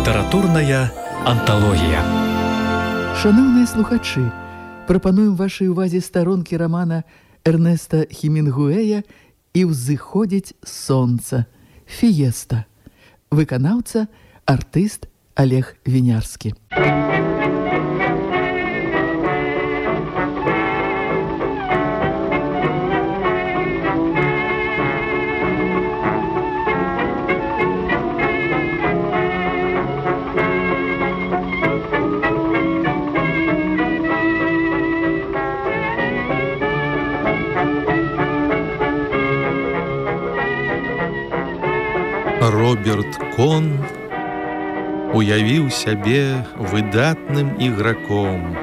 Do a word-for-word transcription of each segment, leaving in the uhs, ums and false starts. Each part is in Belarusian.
Літаратурная анталогія. Шановныя слухачы, прапануем вашай увазе старонкі рамана Эрнеста Хемінгуэя «І ўзыходзіць сонца» «Фіеста». Выканаўца, артыст Олег Вінярскі. Роберт Кон уявіў сябе выдатным іграком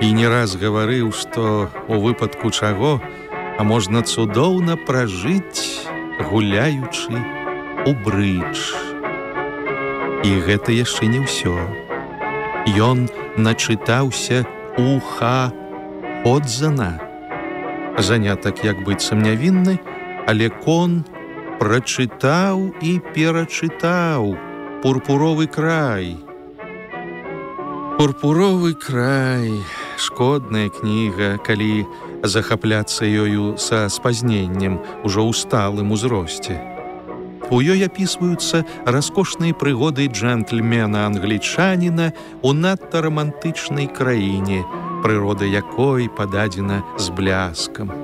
і не раз гаварыў, што у выпадку чаго а можна цудоўна пражыць, гуляючы у брыдж. І гэта яшчэ не ўсё. Ён начытаўся уха Ходзана. Занятак як быццам нявінны, але Кон прачытаў і перачытаў «Пурпуровы край». «Пурпуровы край» — шкодная кніга, калі захапляцца ёю са спазненнем ужо ў сталым узросце. У ёй апісваюцца раскошныя прыгоды джентльмена-англічаніна ў надта рамантычнай краіне, прырода якой пададзена з бляскам.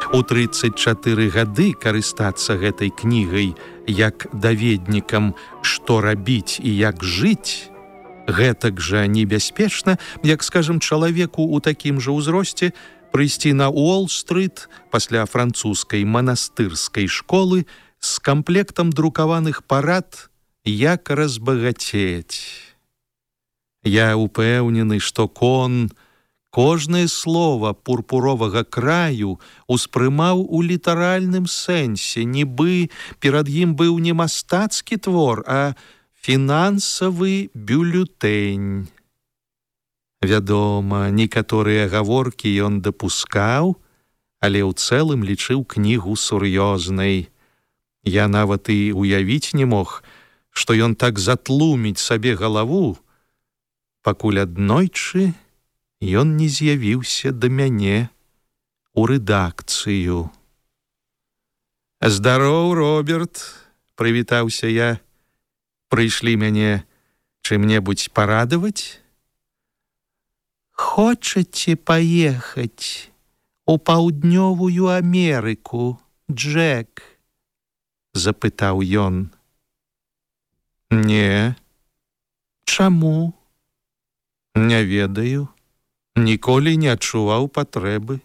У трыццаць чатыры гады карыстацца гэтай кнігай як даведнікам, што рабіць і як жыць, гэтак жа небяспечна, як, скажам, чалавеку ў такім жа ўзросце прыйсці на Уолл-стрыт пасля французскай манастырскай школы з камплектам друкаваных парад «Як разбагацець». Я упэўнены, што Кон кожнае слова «Пурпуровага краю» успрымаў у літаральным сэнсе, нібы перад ім быў не мастацкі твор, а фінансавы бюлетэнь. Вядома, некаторыя гаворкі ён дапускаў, але ў цэлым лічыў кнігу сур'ёзнай. Я нават і уявіць не мог, што ён так затлуміць сабе галаву, пакуль аднойчы ён не з'явіўся да мяне ў рэдакцыю. «Здароў, Роберт!» — прывітаўся я. «Прыйшлі мяне чым-небудзь парадаваць?» «Хочаце паехаць у паўднёвую Амерыку, Джек?» — запытаў ён. «Не». «Чаму?» «Не ведаю. Ніколі не адчуваў патрэбы.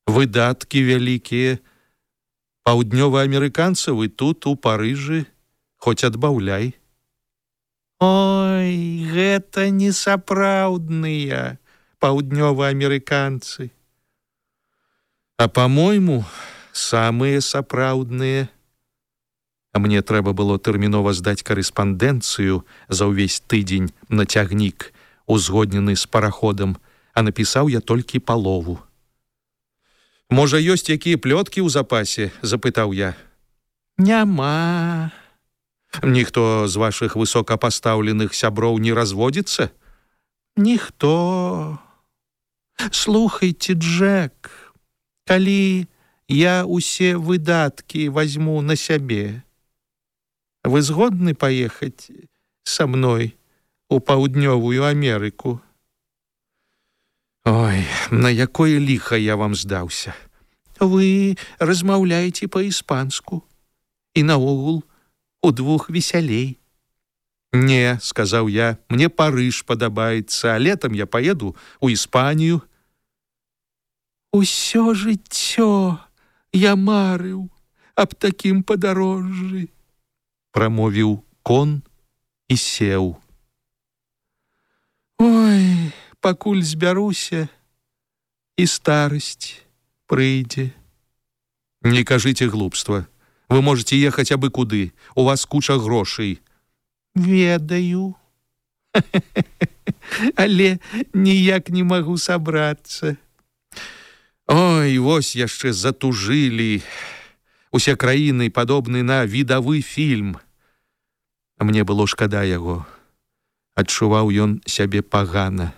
Выдаткі вялікія. Паўднёваамерыканцаў і тут, у Парыжы, хоць адбаўляй». «Ой, гэта не сапраўдныя паўднёваамерыканцы». «А, па-мойму, самыя сапраўдныя». А мне трэба было тэрмінова здаць карэспандэнцыю за ўвесь тыдзень на цягнік, узгоднены з параходам, а напісаў я толькі палову. «Можа, ёсць якія плёткі ў запасе?» — запытаў я. «Няма». «Ніхто з вашых высокапастаўленых сяброў не разводзіцца?» «Ніхто. Слухайце, Джек, калі я ўсе выдаткі вазьму на сябе, вы згодны паехаць са мной у паўднёвую Амерыку?» «Ой, на якое ліха я вам здаўся? Вы размаўляеце па-іспанску і наогул удвух весялей». «Не», — сказаў я, — «мне Парыж падабаецца, а летам я паеду ў Іспанію». «Усё жыццё я марыў аб такім падарожжы», — прамовіў Кон і сеў. «Ой, пакуль збяруся, і старасць прыйдзе». «Не кажыце глупства. Вы можете ехаць абы куды. У вас куча грошай». «Ведаю. Але ніяк не магу сабрацца». «Ой, вось яшчэ затужылі. Усе краіны падобны на відавы фільм. Мне было шкада яго. Адчуваў ён сябе пагана.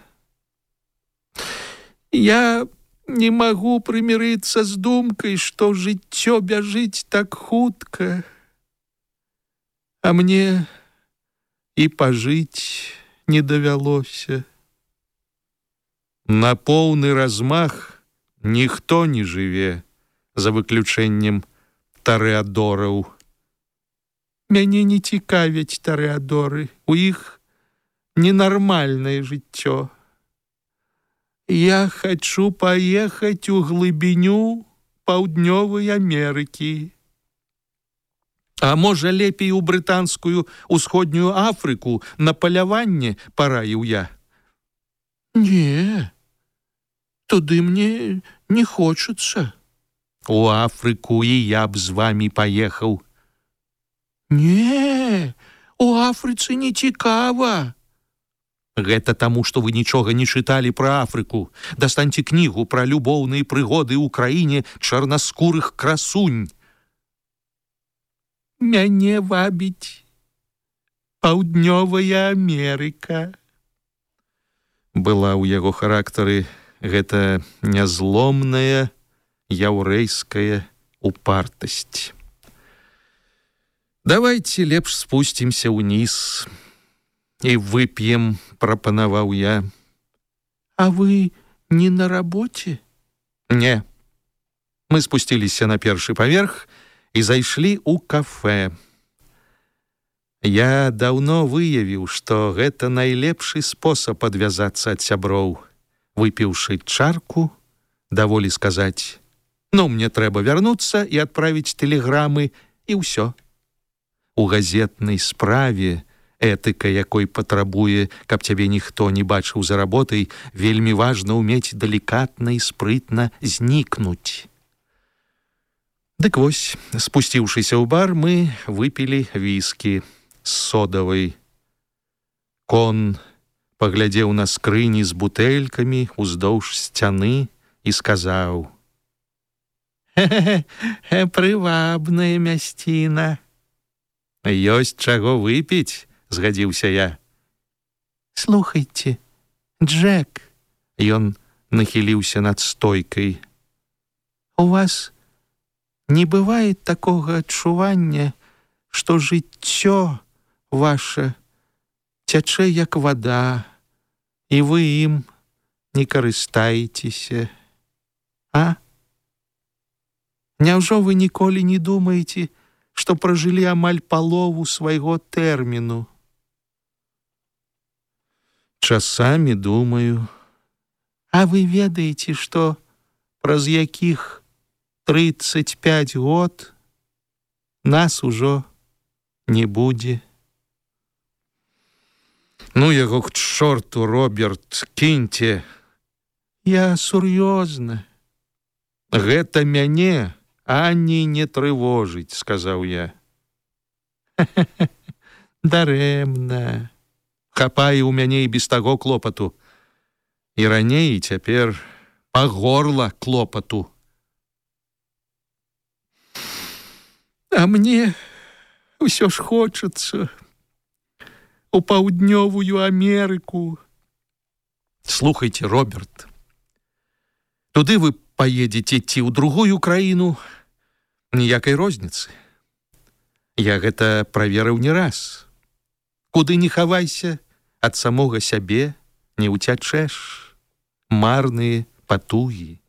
Я не магу прымірыцца з думкай, што жыццё бяжыць так хутка, а мне і пажыць не давялося. На поўны размах ніхто не жыве, за выключэннем тарэадораў. Мяне не цікавяць тарэадоры, у іх ненармальнае жыццё. Я хачу паехаць у глыбіню Паўднёвай Амерыкі. А можа, лепей у брытанскую усходнюю Афрыку на паляванне, параіў я. Не, туды мне не хочацца. У Афрыку і я б з вамі паехаў. Не, у Афрыцы не цікава. Гэта таму, што вы нічога не чыталі пра Афрыку. Дастаньце кнігу пра любоўныя прыгоды ў краіне чарнаскурых красунь. Мяне вабіць Паўднёвая Амерыка. Была ў яго характары гэта нязломная яўрэйская упартасць. Давайте лепш спусцімся ўніз і вып'ем, прапанаваў я. А вы не на рабоце? Не. Мы спусціліся на першы паверх і зайшлі ў кафэ. Я даўно выявіў, што гэта найлепшы спосаб адвязацца ад сяброў. Выпіўшы чарку, даволі сказаць: «Ну, мне трэба вярнуцца і адправіць тэлеграмы, і ўсё». У газетнай справе, этыка якой патрабуе, каб цябе ніхто не бачыў за работай, вельмі важна ўмець далікатна і спрытна знікнуць. Дык вось, спусціўшыся ў бар, мы выпілі віскі з содавай. Кон паглядзеў на скрыні з бутэлькамі ўздоўж сцяны і сказаў: «Хе-хе-хе, прывабная мясціна». «Ёсць чаго выпіць», — згадзіўся я. «Слухайце, Джек», — ён нахіліўся над стойкай, «у вас не бывае такога адчування, што жыццё ваше цячэ як вада, і вы ім не карыстаецеся, а? Няўжо вы ніколі не думаеце, што пражылі амаль палову свайго тэрміну?» «Часамі думаю». «А вы ведаеце, што праз якіх трыццаць пяць год нас ужо не будзе?» «Ну яго к чорту, Роберт, кіньце». «Я сур'ёзна». «Гэта мяне ані не трывожыць», — сказаў я. «Дарэмна. Хапае ў мяне і без таго клопату. І раней, і цяпер па горла клопату. А мне ўсё ж хочацца у Паўднёвую Амерыку». «Слухайце, Роберт, туды вы поедете ці ў другую краіну, ніякай розніцы. Я гэта праверыў не раз. Куды не хавайся, ад самога сябе не ўцячэш. Марныя патугі».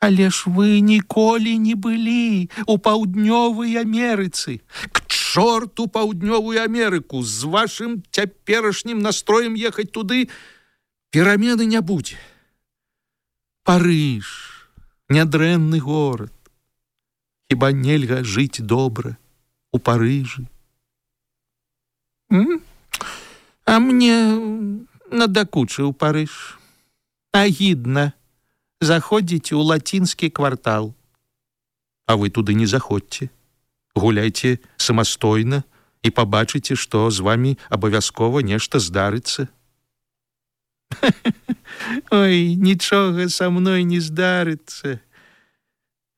«Але ж вы ніколі не былі у Паўднёвай Амерыцы». «К чорту Паўднёвую Амерыку! З вашым цяперашнім настроем ехаць туды перамены не будзе. Парыж, нядрэнны горад. Хіба нельга жыць добра у Парыжы?» М? «А мне надакучыў Парыж. Агідна заходзіць у лацінскі квартал». «А вы туды не заходзьце. Гуляйце самастойна і пабачыце, што з вамі абавязкова нешта здарыцца». «Ой, нічога са мной не здарыцца.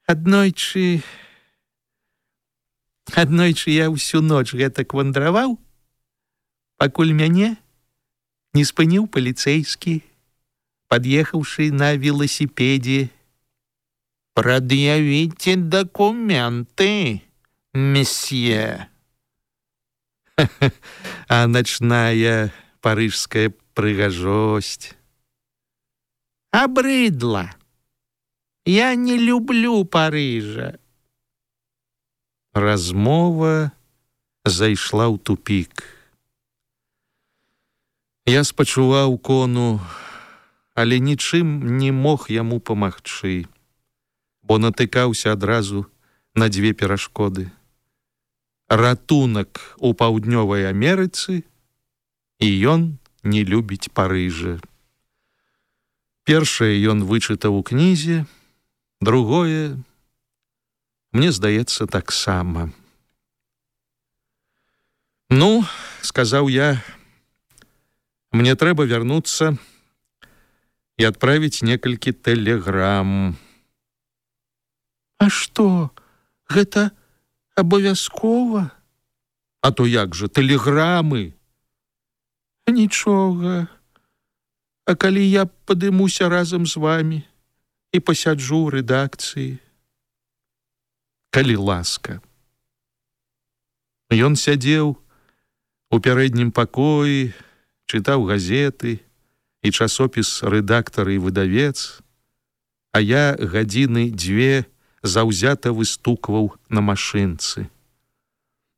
Аднойчы Аднойчы я ўсю ноч гэтак вандраваў, пакуль мяне не спыніў паліцэйскі, пад'ехаўшы на велосипеде. «Предъявите документы, месье». А ночная парыжская прыгажосць. Обрыдла. Я не люблю Парыжа. Размова зайшла ў тупік. Я спачуваў кону, але нічым не мог яму памагчы, бо натыкаўся адразу на дзве перашкоды. Ратунак у Паўднёвай Амерыцы, і ён не любіць Парыжа. Першае ён вычытаў у кнізе, другое, мне здаецца, таксама. «Ну, — сказаў я, — мне трэба вярнуцца і адправіць некалькі тэлеграм». «А што, гэта абавязкова?» «А то як жа, тэлеграмы?» «Нічога, а калі я падымуся разам з вамі і пасяджу ў рэдакцыі?» «Калі ласка». Ён сядзеў у пярэднім пакоі, чытаў газеты і часопіс «Рэдактар» і «Выдавец», а я гадзіны дзве заўзята выстукваў на машынцы.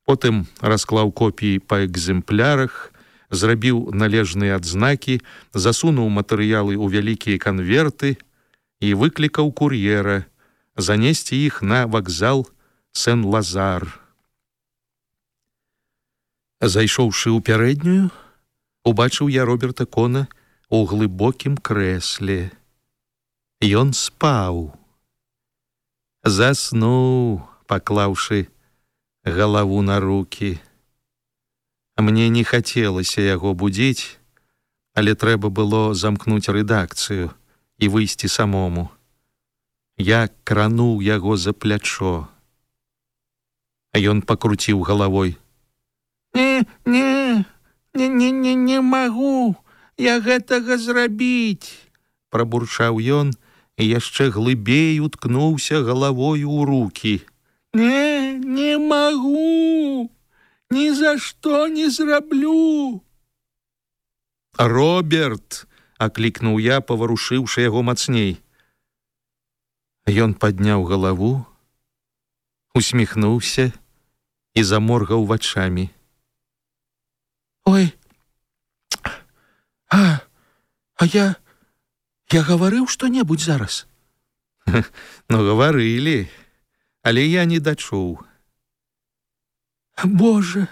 Потым расклаў копіі па экземплярах, зрабіў належныя адзнакі, засунуў матэрыялы ў вялікія канверты і выклікаў кур'ера занесці іх на вакзал Сен-Лазар. Зайшоўшы ў пярэднюю, убачыў я Роберта Кона ў глыбокім крэсле. Ён спаў. Заснуў, паклаўшы галаву на рукі. Мне не хацелася яго будзіць, але трэба было замкнуць рэдакцыю і выйсці самому. Я крануў яго за плячо. А ён пакруціў галавой. «Не, не, не, не, не, не магу я гэтага зрабіць», — прабурчаў ён і яшчэ глыбей уткнуўся галавою ў рукі. «Не, не магу, ні за што не зраблю». «Роберт!» — аклікнуў я, паварушыўшы яго мацней. Ён падняў галаву, усміхнуўся і заморгаў вачамі. «Ой, а, а я, я гаварыў што-небудзь зараз?» «Ну, гаварылі, але я не дачуў». «Боже,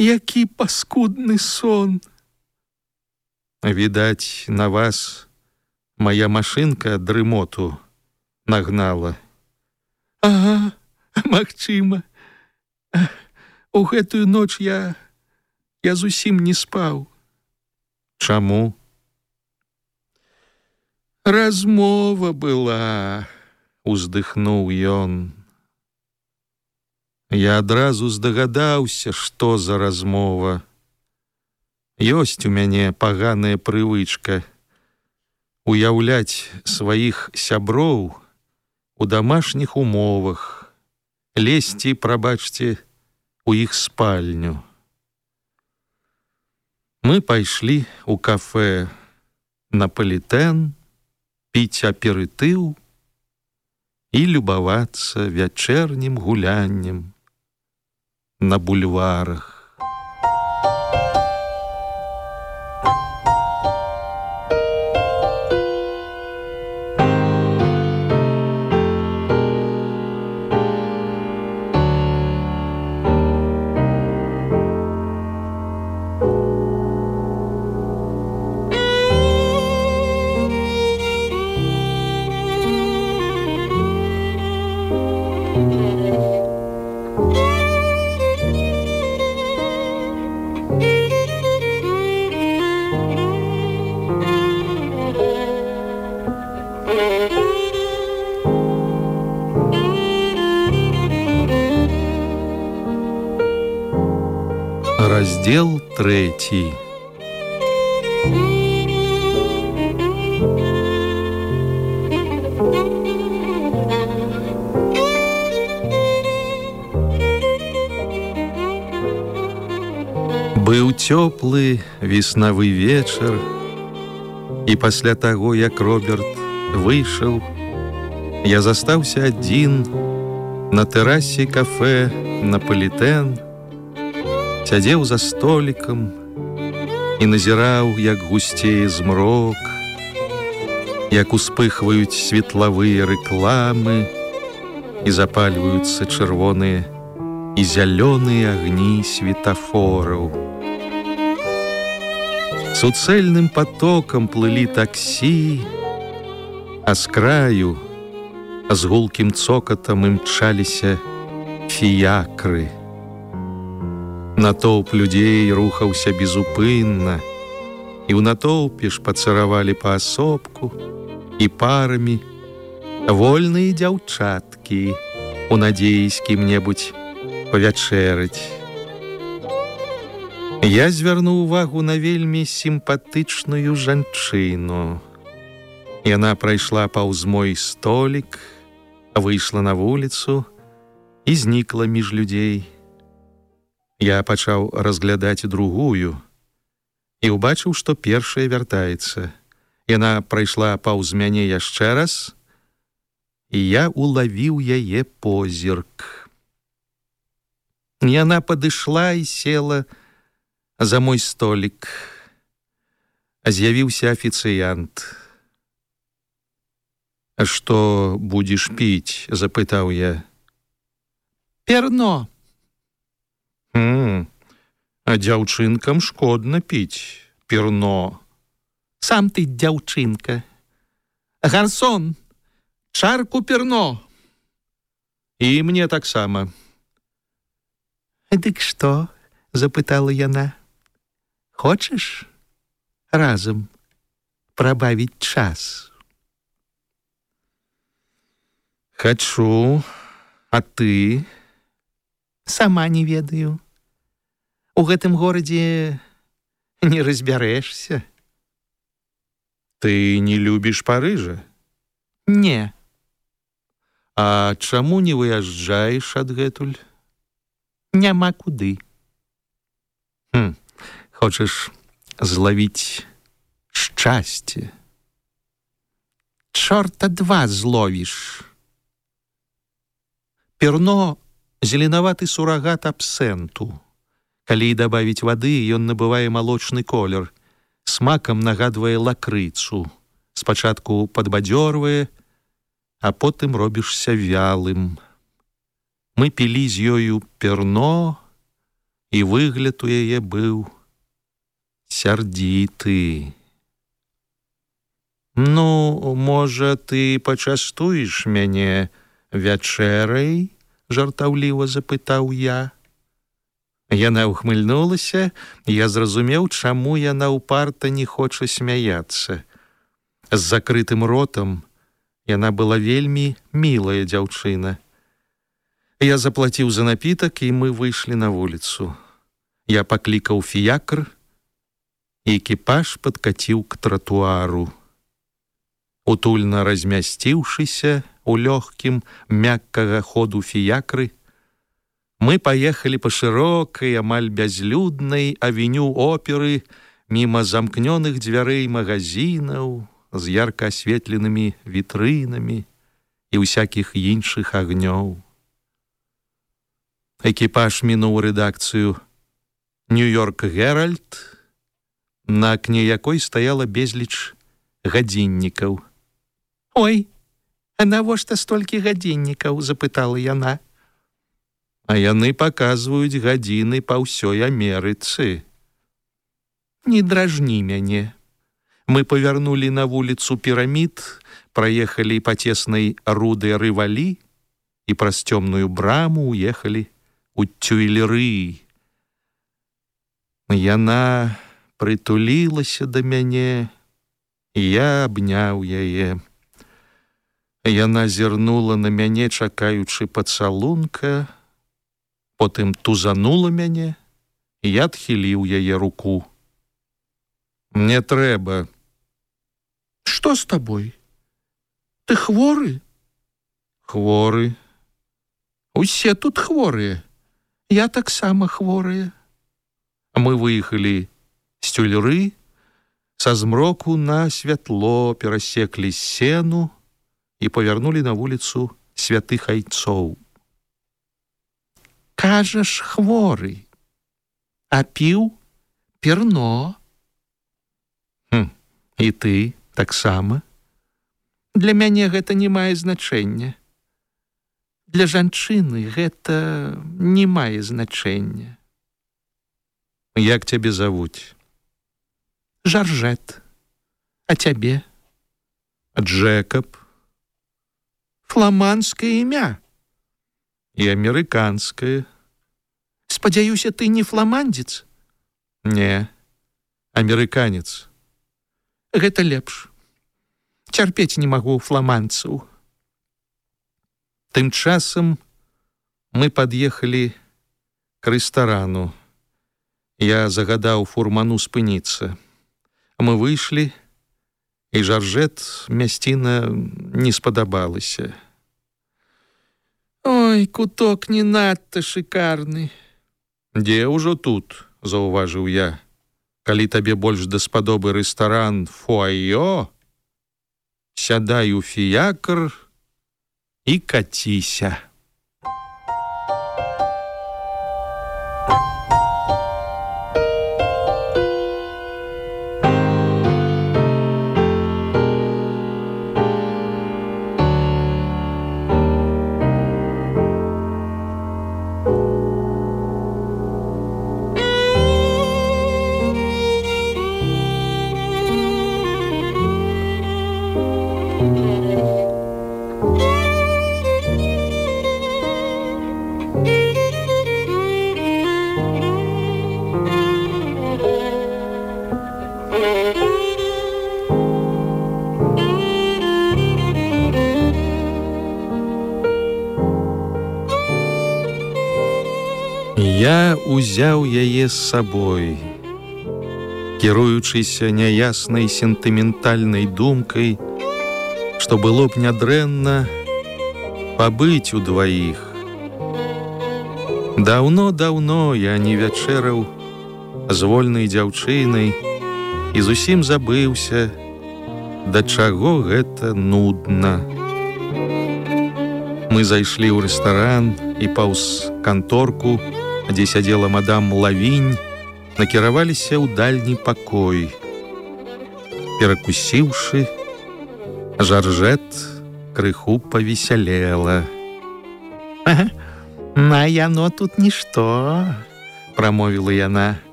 які паскудны сон!» «Відаць, на вас моя машынка дрымоту нагнала». «Ага, магчыма. У гэтую ноч я, я зусім не спаў». «Чаму?» «Размова была», — уздыхнуў ён. Я адразу здагадаўся, што за размова. Ёсць у мяне паганая прывычка уяўляць сваіх сяброў у дамашніх умовах, лезці, прабачце, у іх спальню. Мы пайшлі ў кафэ «Наполітэн» піць аперытыў і любавацца вячэрнім гуляннем на бульварах. Раздел третий. Быў цёплы веснавы вечар, і пасля таго, як Роберт выйшаў, я застаўся адзін на тэрасе кафэ «Наполітэн», сядзеў за столікам і назіраў, як гусцее змрок, як успыхваюць светлавыя рэкламы і запальваюцца чырвоныя і зялёныя агні светафораў. Суцэльным потокам плылі таксі, а з краю з гулкім цокатам імчаліся фіякры. Натоўп людзей рухаўся безупынна, і ў натоўпе ж пацаравалі паасобку і парамі вольныя дзяўчаткі у надзеі з кім-небудзь павячэраць. Я звярнуў увагу на вельмі сімпатычную жанчыну. Яна прайшла паўз мой столік, выйшла на вуліцу і знікла між людзей. Я пачаў разглядаць другую і ўбачыў, што першая вяртаецца. Яна прайшла паўз мяне яшчэ раз, і я улавіў яе позірк. Яна падышла і села за мой столік. З'явіўся афіцыянт. «А што будзеш піць?» – запытаў я. «Перно». «Хм, а дзяўчынкам шкодна піць перно». «Сам ты дзяўчынка. Гарсон, чарку перно». «І мне таксама». «Дык што?» – запытала яна. «Хочаш разам прабавіць час?» «Хачу, а ты?» «Сама не ведаю. У гэтым горадзе не разбярэшся». «Ты не любіш Парыжа?» «Не». «А чаму не выязджаеш адгэтуль?» «Няма куды». «Хм, хочаш злавіць шчасце?» «Чорта два зловіш». Перно – зеленаваты сурагат абсенту. Калі дабавіць вады, ён набывае малочны колер, смакам нагадвае лакрыцу. Спачатку падбадзёрвае, а потым робішся вялым. Мы пілі з ёю перно, і выгляд у яе быў сярдзіты. «Ну, можа, ты пачастуеш мяне вячэрай?» – жартаўліва запытаў я. Яна ўхмыльнулася, і я зразумеў, чаму яна ўпарта не хоча смяяцца. З закрытым ротам яна была вельмі мілая дзяўчына. Я заплаціў за напітак, і мы выйшлі на вуліцу. Я паклікаў фіякр, і экіпаж падкаціў к тратуару. Утульна размясціўшыся у лёгкім, мяккага ходу фіякры, мы паехалі па шырокай, амаль бязлюднай авеню оперы міма замкнёных дзвярэй магазінаў з ярка асветленымі вітрынамі і ўсякіх іншых агнёў. Экіпаж мінуў рэдакцыю «Нью-Йорк Геральд», на акне якой стаяла безліч гадзіннікаў. «Ой, а навошта столькі гадзіннікаў?» – запытала яна. «А яны паказваюць гадзіны па ўсёй Амерыцы». «Не дражні мяне». Мы павярнулі на вуліцу Пірамід, праехалі па цеснай руды Рывалі і праз цёмную браму уехалі у Тюйлеры. Яна прытулілася да мяне, і я абняў яе. Яна зірнула на мяне, чакаючы пацалунка, потым тузанула мяне і я адхіліў яе руку. Не трэба. Што з табой? Ты хворы? Хворы. Усе тут хворыя. Я таксама хворая. Мы выехалі з Тюльры, са змроку на святло перасеклі сену і павярнулі на вуліцу Святых Айцоў. Кажаш, хворы, а піў перно. Хм, і ты таксама? Для мяне гэта не мае значэння. Для жанчыны гэта не мае значэння. Як цябе завуць? Жаржет. А цябе? Джэкаб. Фламандскае імя. І амерыканскае. Спадзяюся, ты не фламандзец? Не, амерыканец. Гэта лепш. Цярпець не магу фламандцаў. Тым часам мы пад'ехалі к рэстарану. Я загадаў фурману спыніцца. Мы выйшлі, і Жаржет мясціна не спадабалася. Ой, куток не надта шикарны. Дзе ўжо тут, заўважыў я. Калі табе больш даспадобы рэстаран Фуайё, сядай у фіякр і каціся. Я узяў яе з сабой, кіруючыся няяснай сентыментальнай думкай, што было б нядрэнна пабыць удваіх. Даўно-даўно я не вячэраў з вольнай дзяўчынай і зусім забыўся, да чаго гэта нудна. Мы зайшлі ў рэстаран і паўз канторку, дзе сядзела мадам Лавінь, накіраваліся ў дальні пакой. Перакусіўшы, Жаржет крыху павесялела. На яно тут нішто, прамовіла яна.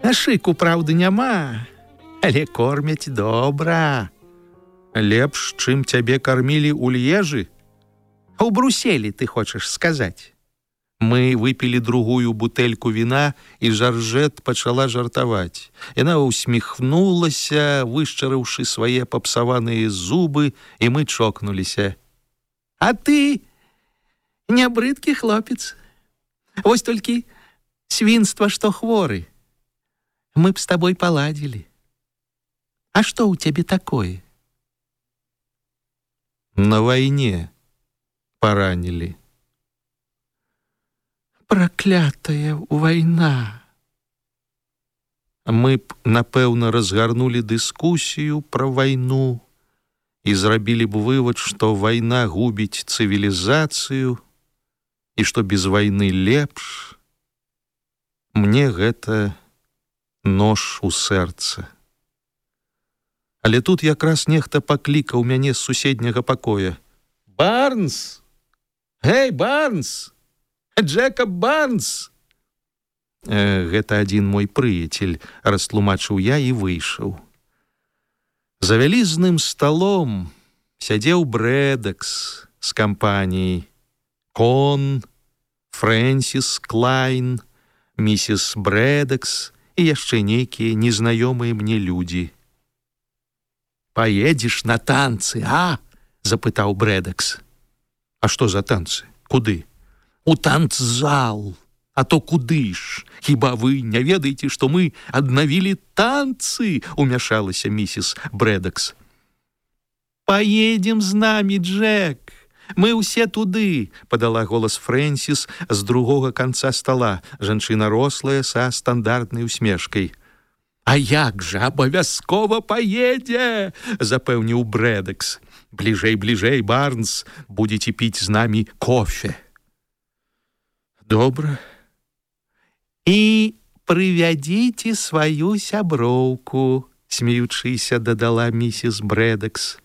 Шыку, праўды, няма, але кормяць добра. Лепш, чым цябе кармілі ў Льежы? У Бруселі, ты хочаш сказаць. Мы выпілі другую бутэльку віна, і Жаржет пачала жартаваць. Яна усміхнулася, вышчарыўшы свае папсаваныя зубы, і мы чокнуліся. А ты не брыдкі хлопец. Вось толькі свінства, што хворы. Мы б з табой паладзілі. А што ў цябе такое? На вайне паранілі. Праклятая вайна. Мы б, напэўна, разгарнулі дыскусію пра вайну і зрабілі б вывад, што вайна губіць цывілізацыю і што без вайны лепш. Мне гэта нож у сэрца. Але тут якраз нехта паклікаў мяне з суседняга пакоя. Барнс! Гей, Барнс! Джэкаб Барнс! Э, гэта адзін мой прыяцель, растлумачыў я і выйшаў. За вялізным сталом сядзеў Брэдакс з кампаніяй. Кон, Фрэнсіс Клайн, місіс Брэдакс і яшчэ нейкія незнаёмыя мне людзі. «Паедзеш на танцы, а?» – запытаў Брэдакс. «А што за танцы? Куды?» «У танцзал. А то куды ж? Хіба вы не ведаеце, што мы аднавілі танцы? Умяшалася місіс Брэдакс. Поедем з намі, Джек. Мы ўсе туды, падала голас Фрэнсіс з другога канца стала, жанчына рослая са стандартнай усмешкай. А як жа, абавязкова паедзе, запэўніў Брэдакс. Бліжэй, бліжэй, Барнс, будзеце піць з намі кофе. Добра. І прывядзіце сваю сяброўку, смеючыся, дадала місіс Брэдакс.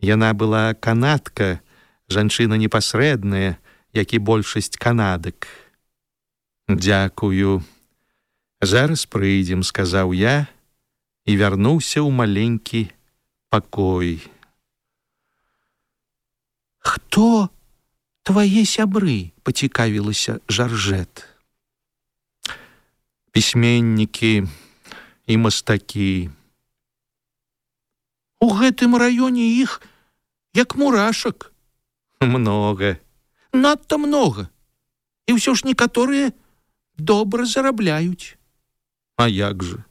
Яна была канадка, жанчына непасрэдная, як і большасць канадак. Дзякую. Зараз прыйдзем, сказаў я і вярнуўся ў маленькі пакой. Хто твае сябры? Пацікавілася Жаржэт. Пісьменнікі і мастакі. У гэтым раёне іх як мурашак. Многа. Надта многа. І ўсё ж некаторыя добра зарабляюць. А як жа?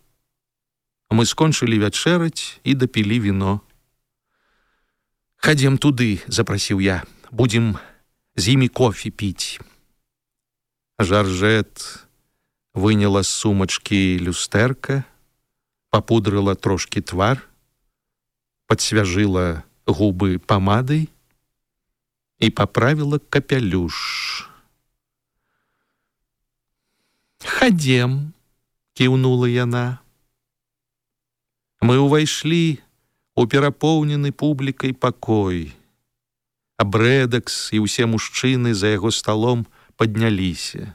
Мы скончылі вячэраць і дапілі віно. Хадзем туды, запрасіў я. Будзем з імі кофе піць. Жаржэт выняла з сумачкі люстэрка, папудрыла трошкі твар, падсвяжыла губы памадай і паправіла капялюш. «Хадзем», — кіўнула яна. Мы ўвайшлі у перапоўнены публікай пакой. А Брэдакс і ўсе мужчыны за яго сталом падняліся.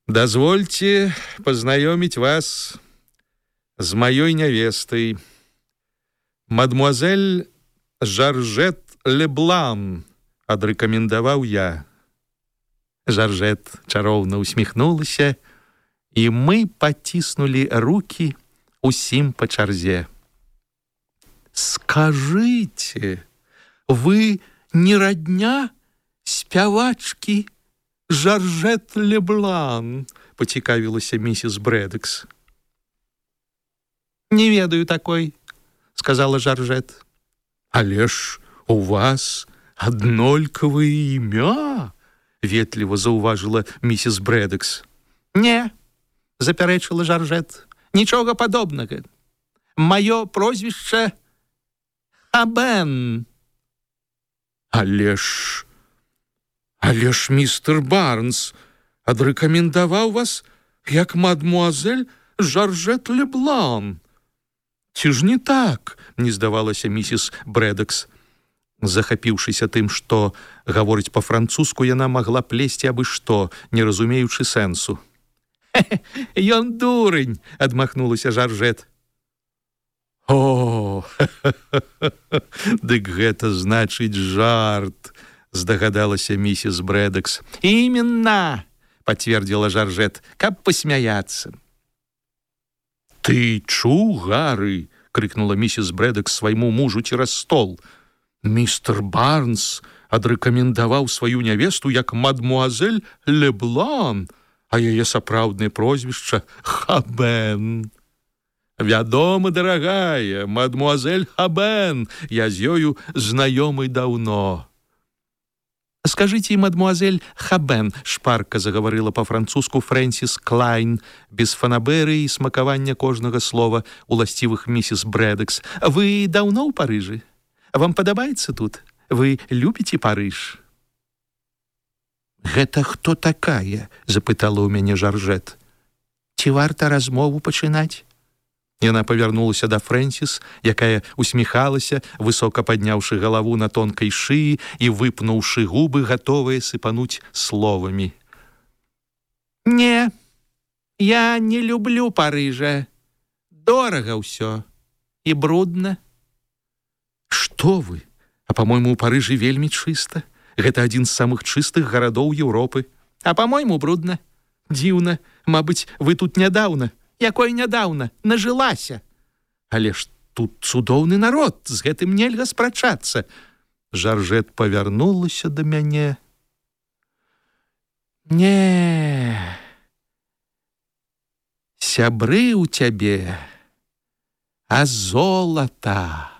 «Дазвольце пазнаёміць вас з маёй нявестай, мадмуазель Жаржэт Леблан», — адрэкамендаваў я. Жаржэт чароўна усміхнулася, і мы паціснулі рукі усім па чарзе. «Скажыце, вы не радня спявачкі Жаржэт Леблан?» — пацікавілася місіс Брэдакс. «Не ведаю такой», — сказала Жаржэт. «Але ж у вас аднолькавае імя», — ветліва заўважыла місіс Брэдакс. «Не», — запярэчыла Жаржэт, — «нічога падобнага. Маё прозвішча Хабен». «Але ж... Але ж містер Барнс адрэкамендаваў вас як мадмуазель Жаржэт Леблан. Ці ж не так?» — не здавалася місіс Брэдакс. Захапіўшыся тым, што гаворыць па-французску, яна магла плесці абы што, не разумеючы сэнсу. «Ён дурень!» — адмахнулася Жаржэт. «О, дык гэта значыць жарт!» — здагадалася місіс Брэдакс. «Іменна!» — пацвердзіла Жаржэт, — «каб пасмяяцца». «Ты чуў, Гары?» — крыкнула місіс Брэдакс свайму мужу цераз стол. «Містер Барнс адрэкамендаваў сваю нявесту як мадмуазель Леблан, а яе сапраўднае прозвішча Хабен». «Вядома, дарагая, мадмуазель Хабен, я з ёю знаёмы даўно». «Скажыце, мадмуазель Хабен», — шпарка загаварыла па-французску Фрэнсіс Клайн, без фанаберы і смакавання кожнага слова уласцівых місіс Брэдакс. «Вы даўно ў Парыжы? Вам падабаецца тут? Вы любіце Парыж?» «Гэта хто такая?» — запытала ў мяне Жаржэт. «Ці варта размову пачынаць?» Яна павярнулася да Фрэнсіс, якая усміхалася, высока падняўшы галаву на тонкай шыі і выпнуўшы губы, гатовыя сыпануць словамі. «Не, я не люблю Парыжа. Дорага ўсё і брудна». «Што вы? А па-мойму, у Парыжы вельмі чыста. Гэта адзін з самых чыстых гарадоў Еўропы. А па-мойму, брудна. Дзіўна, мабыць, вы тут нядаўна». «Якой нядаўна, нажылася». «Але ж тут цудоўны народ, з гэтым нельга спрачацца». Жаржэт павярнулася да мяне. Не, сябры ў цябе, а золата.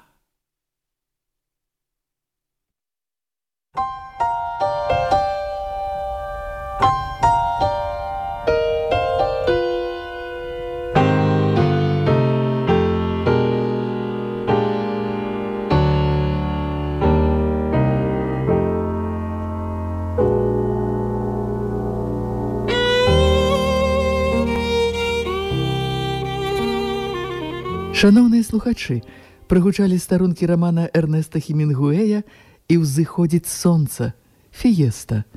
Шановныя слухачы, прагучалі старонкі рамана Эрнеста Хемінгуэя «І ўзыходзіць сонца» «Фіеста».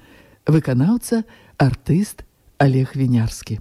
Выканаўца, артыст Олег Вінярскі.